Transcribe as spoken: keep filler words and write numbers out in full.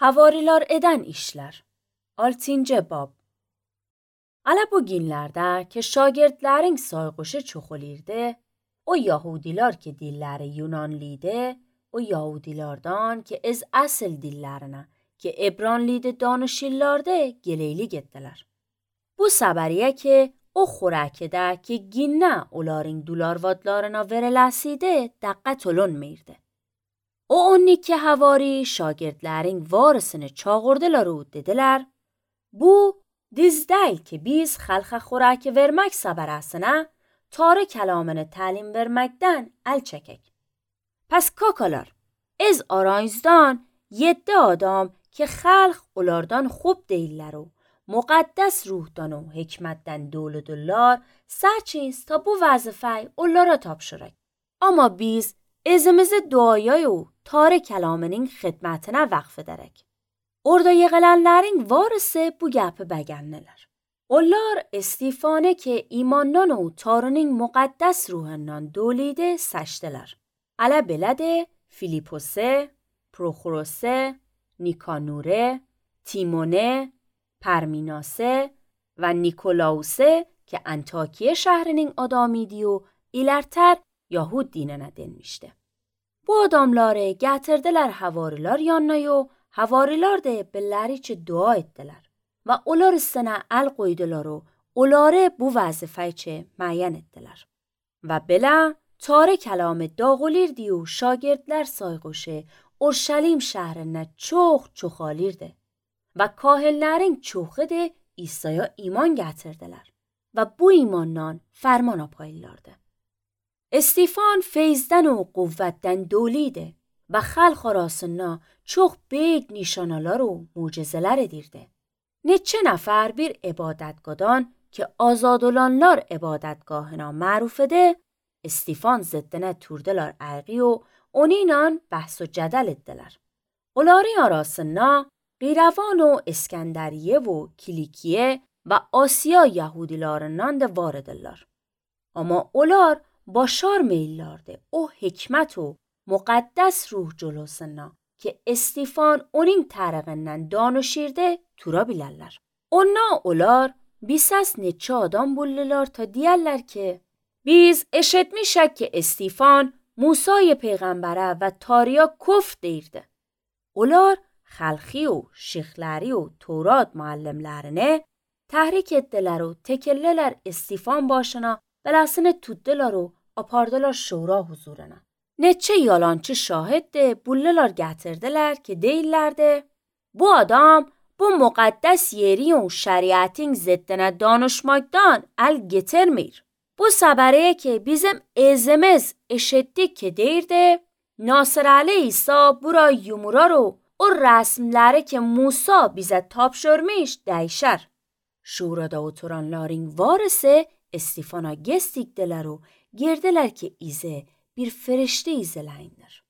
Havariler eden işler. altıncı bab. Ala bu günlerde ki şagirdlerin sayğışı çoxalırdı, o Yahudiler ki dilleri Yunanlıydı, o Yahudilerden ki az asıl dillerine ki Ebranlıydı danışırlardı geleyli gittiler. Bu sabariye ki o xorakede ki ginne onların dolarvatlarına veriləsiydi diqqət olunmurdu. O on iki havari şagirdlerin varisini çağırdılar و dediler, bu diz değil ki biz xalqa xorak vermek sabarasına tarı kelamını talim vermekten el çekek. Pes kakalar, از آرایزدان یده آدم که خلق اولادان خوب دیلر و مقدس روحدان و حکمتدن دول دلار سرچیز تا بو وظیفه اولارا تابشرک. اما بیز ازمز duayay و tar kelamının xidmətinə vəqf edərək. Orada yığılanların varısı bu gəpi bəgənlər. Onlar Estifanı ki imandan و tarının müqəddəs ruhundan doliydi səçdilər. Ələ belədi Filipose, Proxorose, Nikanure, Timone, Parminase və Nikolause ki Antakiye şəhrinin adamıydı و ilərtər Yahud dinine denmişti. Bu adamları gətirdiler havariler yanına و havariler de belləriçi dua etdiler və onlar üstünə əl qoydular و onları bu vəzifəçi müəyyən etdiler. Və belə tarı kəlamı dağılırdı و şagirdlər sayğışı Urşalim şəhrinə çox çoxalırdı və kahinlərin çoxu da İsa'ya iman gətirdilər və bu imandan fərman apayırlardı. استیفان فیضدن و قوتدن دولیده و خلق arasında çok büyük nişanalar و mucizeler edirdi. Neçə nəfər bir ibadətgahdan ki azad olanlar ibadətgahına məruf edir, استیفان zıddına turdular ayği و onunla bəhs و cədəl etdilər. Onların arasında Qeyravan و İskəndəriyə و Kilikiyə və Asiya Yahudilarından da var edirlər. Amma onlar başar meyillardı o hikmet و مقدس ruh جلوسنا که استیفان onun tərəqindən danışırdı tura bilərlər. Onlar olar bisas neçə adam bullular ta deyərlər ki biz eşitmişik ki استیفان موسی پیغمبره و تاریا کفر deyirdi. Onlar xalqi و şixləri و تورات müəllimlərini təhrik etdilər و tekellilər استیفان başına belasını tutdular و apardılar şura huzuruna. Neçə yalançı şahid de bullular gətirdiler ki deyirlərdi, bu adam bu müqəddəs yeri و şəriətin ziddinə danışmaktan el getirmir. Bu səbəriyə ki bizim ezimiz eşitdik ki deyirdi, Nasır İsa bura yumurar و o rəsmləri ki Musa bizə tapşırmış dəyişər. Şurada oturanların varisi استیفانا گستیکدلر و گردلر که ایزه bir فرشته ایزلینdir.